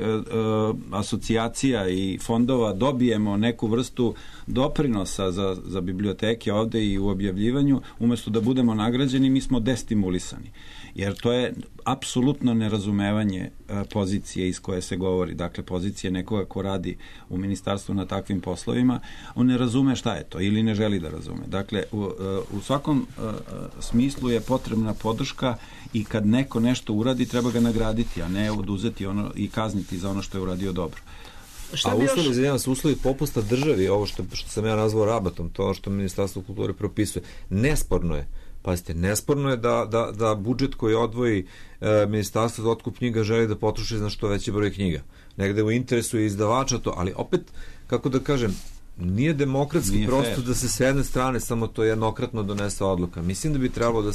asocijacija i fondova dobijemo neku vrstu doprinosa za biblioteke ovde i u objavljivanju, umesto da budemo nagrađeni, mi smo destimulisani. Jer to je apsolutno nerazumevanje pozicije iz koje se govori. Dakle, pozicije nekoga ko radi u ministarstvu na takvim poslovima, on ne razume šta je to ili ne želi da razume. Dakle, u svakom smislu je potrebna podrška i kad neko nešto uradi, treba ga nagraditi, a ne oduzeti ono i kazniti za ono što je uradio dobro. A uslovi popusta državi, ovo što sam ja nazvao rabatom, to što Ministarstvo kulture propisuje, nesporno je. Pazite, nesporno je da budžet koji odvoji Ministarstvo za otkup knjiga želi da potroši na što veći broj knjiga. Negde u interesu je izdavača to, ali opet, kako da kažem, nije demokratski prosto da se s jedne strane samo to jednokratno donese odluka. Mislim da bi trebalo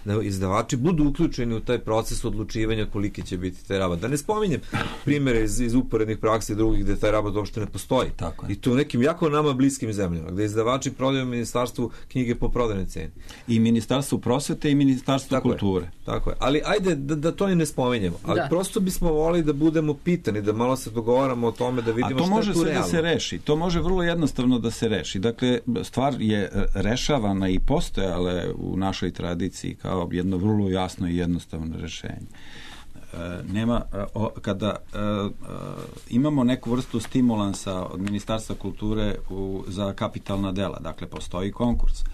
da izdavači budu uključeni u taj proces odlučivanja koliki će biti taj rabat. Da ne spominjem primere iz uporednih praksi drugih gde taj rabat uopšte ne postoji. I to u nekim jako nama bliskim zemljama, gde izdavači prodaju Ministarstvu knjige po prodajnoj ceni. I Ministarstvu prosvete i Ministarstvu kulture. Tako je. Ali ajde da to i ne spominjemo. Ali prosto bismo volili da budemo pitani, da malo se dogovaramo o tome, da vidimo šta je tu realno. A to može sve da se reši. To može vrlo jednostavno da se reši. Dakle, stvar je rešavana i postojala u našoj tradiciji kao jedno vrlo jasno i jednostavno rešenje. Kada imamo neku vrstu stimulansa od Ministarstva kulture za kapitalna dela, dakle, postoji konkurs,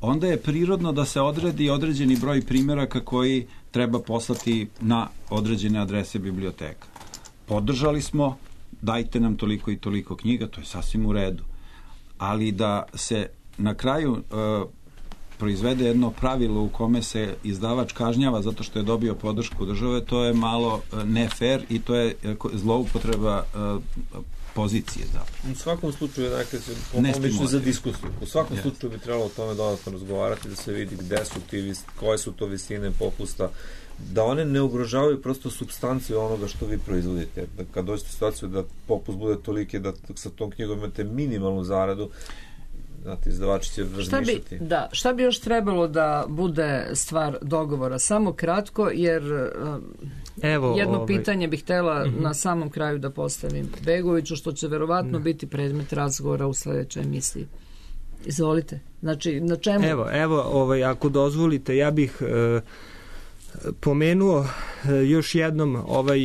onda je prirodno da se odredi određeni broj primjeraka koji treba poslati na određene adrese biblioteka. Podržali smo, dajte nam toliko i toliko knjiga, to je sasvim u redu. Ali da se na kraju proizvede jedno pravilo u kome se izdavač kažnjava zato što je dobio podršku države, to je malo ne fair i to je zloupotreba pozicije zapravo. U svakom slučaju je za diskusiju. U svakom slučaju bi trebalo o tome dodatno razgovarati, da se vidi gde su koje su to visine popusta, da one ne ugrožavaju prosto supstanciju onoga što vi proizvodite. Kad dođete u situaciju da popust bude toliki da sa tom knjigom imate minimalnu zaradu, znate, izdavači će razmišljati. Šta bi još trebalo da bude stvar dogovora? Samo kratko, jer jedno pitanje bih htela na samom kraju da postavim Begoviću, što će verovatno biti predmet razgovora u sledećoj emisiji. Izvolite. Znači, na čemu? Evo, ako dozvolite, ja bih pomenuo još jednom ovaj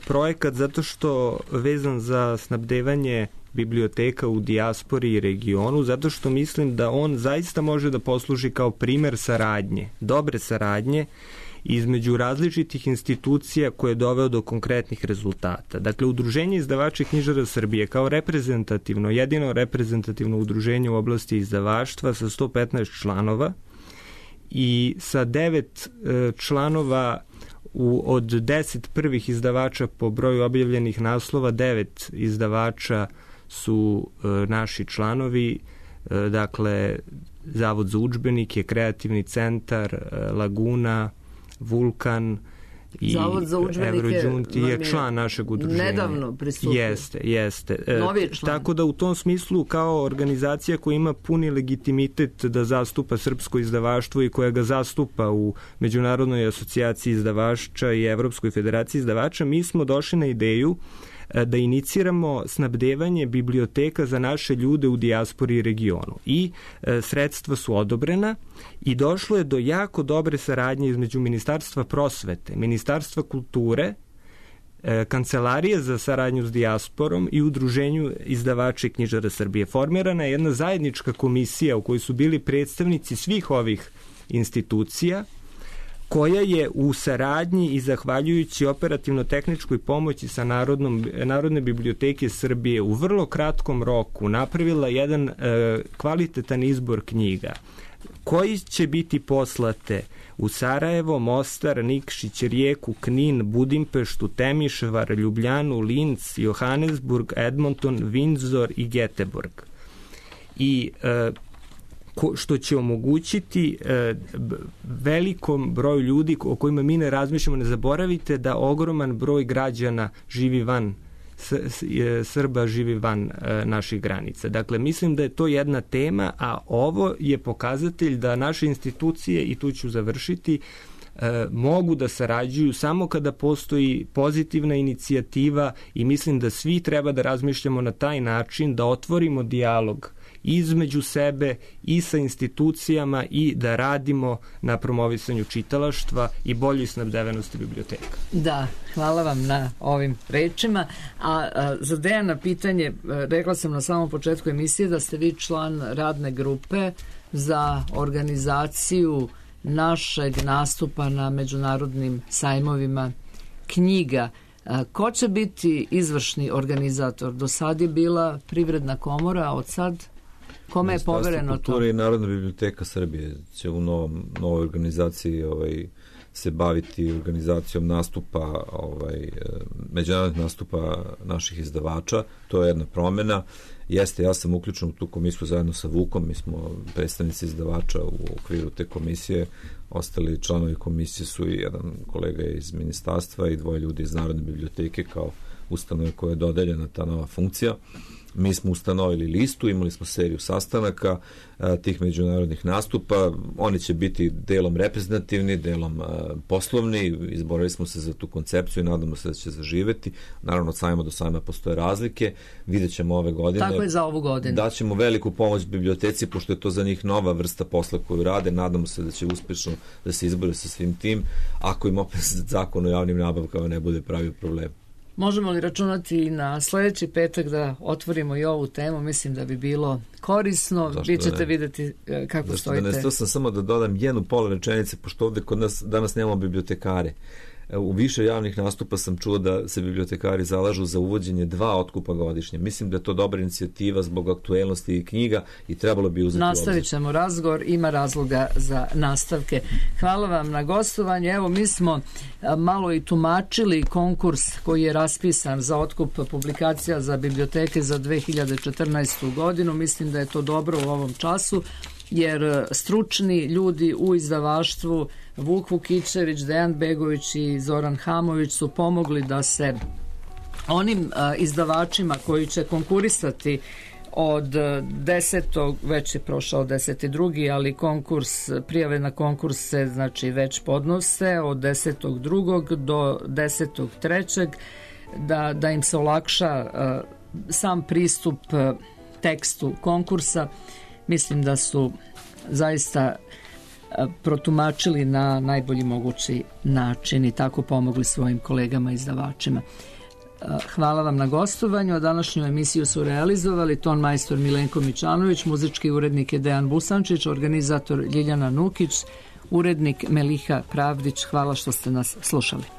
projekat zato što vezan za snabdevanje biblioteka u dijaspori i regionu, zato što mislim da on zaista može da posluži kao primer saradnje, dobre saradnje između različitih institucija koje je doveo do konkretnih rezultata. Dakle, Udruženje izdavača i knjižara Srbije kao reprezentativno, jedino reprezentativno udruženje u oblasti izdavaštva sa 115 članova i sa 9 članova od 10 prvih izdavača po broju objavljenih naslova, 9 izdavača su naši članovi, dakle Zavod za udžbenike, Kreativni centar, Laguna, Vulkan i Evrođunti je član našeg udruženja. Nedavno pristupio. Jeste. Novi član. Tako da u tom smislu kao organizacija koja ima puni legitimitet da zastupa srpsko izdavaštvo i koja ga zastupa u Međunarodnoj asocijaciji izdavača i Evropskoj federaciji izdavača, mi smo došli na ideju da iniciramo snabdevanje biblioteka za naše ljude u dijaspori i regionu. I sredstva su odobrena i došlo je do jako dobre saradnje između Ministarstva prosvete, Ministarstva kulture, Kancelarije za saradnju s dijasporom i Udruženju izdavača i knjižara Srbije. Formirana je jedna zajednička komisija u kojoj su bili predstavnici svih ovih institucija, koja je u saradnji i zahvaljujući operativno-tehničkoj pomoći sa Narodne biblioteke Srbije u vrlo kratkom roku napravila jedan kvalitetan izbor knjiga koji će biti poslate u Sarajevo, Mostar, Nikšić, Rijeku, Knin, Budimpeštu, Temišvar, Ljubljanu, Linz, Johannesburg, Edmonton, Windsor i Göteborg. I što će omogućiti velikom broju ljudi o kojima mi ne razmišljamo. Ne zaboravite da ogroman broj građana živi van Srba živi van naših granica. Dakle, mislim da je to jedna tema, a ovo je pokazatelj da naše institucije, i tu ću završiti, mogu da sarađuju samo kada postoji pozitivna inicijativa i mislim da svi treba da razmišljamo na taj način, da otvorimo dijalog između sebe i sa institucijama i da radimo na promovisanju čitalaštva i boljoj snabdevenosti biblioteka. Da, hvala vam na ovim rečima. A za Dejana pitanje, rekla sam na samom početku emisije da ste vi član radne grupe za organizaciju našeg nastupa na međunarodnim sajmovima knjiga. Ko će biti izvršni organizator? Do sad je bila Privredna komora, a od sad kome je povereno to? Ministarstvo kulture i Narodna biblioteka Srbije će u novoj organizaciji se baviti organizacijom nastupa, međunarodnih nastupa naših izdavača. To je jedna promjena. Jeste, ja sam uključen u tu komisiju zajedno sa Vukom, mi smo predstavnici izdavača u okviru te komisije, ostali članovi komisije su i jedan kolega iz ministarstva i 2 ljudi iz Narodne biblioteke kao ustanove koja je dodeljena ta nova funkcija. Mi smo ustanovili listu, imali smo seriju sastanaka tih međunarodnih nastupa, oni će biti delom reprezentativni, delom poslovni, izborili smo se za tu koncepciju i nadamo se da će zaživeti. Naravno, od sajma do sajma postoje razlike, vidjet ćemo ove godine. Tako je za ovu godinu. Daćemo veliku pomoć biblioteci, pošto je to za njih nova vrsta posla koju rade, nadamo se da će uspešno da se izbore sa svim tim, ako im opet zakon o javnim nabavkama ne bude pravio problem. Možemo li računati na sljedeći petak da otvorimo i ovu temu? Mislim da bi bilo korisno. Vi ćete vidjeti kako stojite. To sam samo da dodam jednu pola rečenice, pošto ovdje kod nas danas nemamo bibliotekare. U više javnih nastupa sam čuo da se bibliotekari zalažu za uvođenje 2 otkupa godišnje. Mislim da je to dobra inicijativa zbog aktuelnosti knjiga i trebalo bi uzeti u obzir. Nastavit ćemo razgovor, ima razloga za nastavke. Hvala vam na gostovanju. Evo, mi smo malo i tumačili konkurs koji je raspisan za otkup publikacija za biblioteke za 2014. godinu. Mislim da je to dobro u ovom času, jer stručni ljudi u izdavaštvu Vuk Vukićević, Dejan Begović i Zoran Hamović su pomogli da se onim izdavačima koji će konkurisati od 10. već je prošao 10.2. ali prijave na konkurs se znači već podnose od 10.2. do 10.3. da im se olakša sam pristup tekstu konkursa. Mislim da su zaista protumačili na najbolji mogući način i tako pomogli svojim kolegama izdavačima. Hvala vam na gostovanju, a današnju emisiju su realizovali ton majstor Milenko Mičanović, muzički urednik je Dejan Busančić, organizator Ljiljana Nukić, urednik Meliha Pravdić. Hvala što ste nas slušali.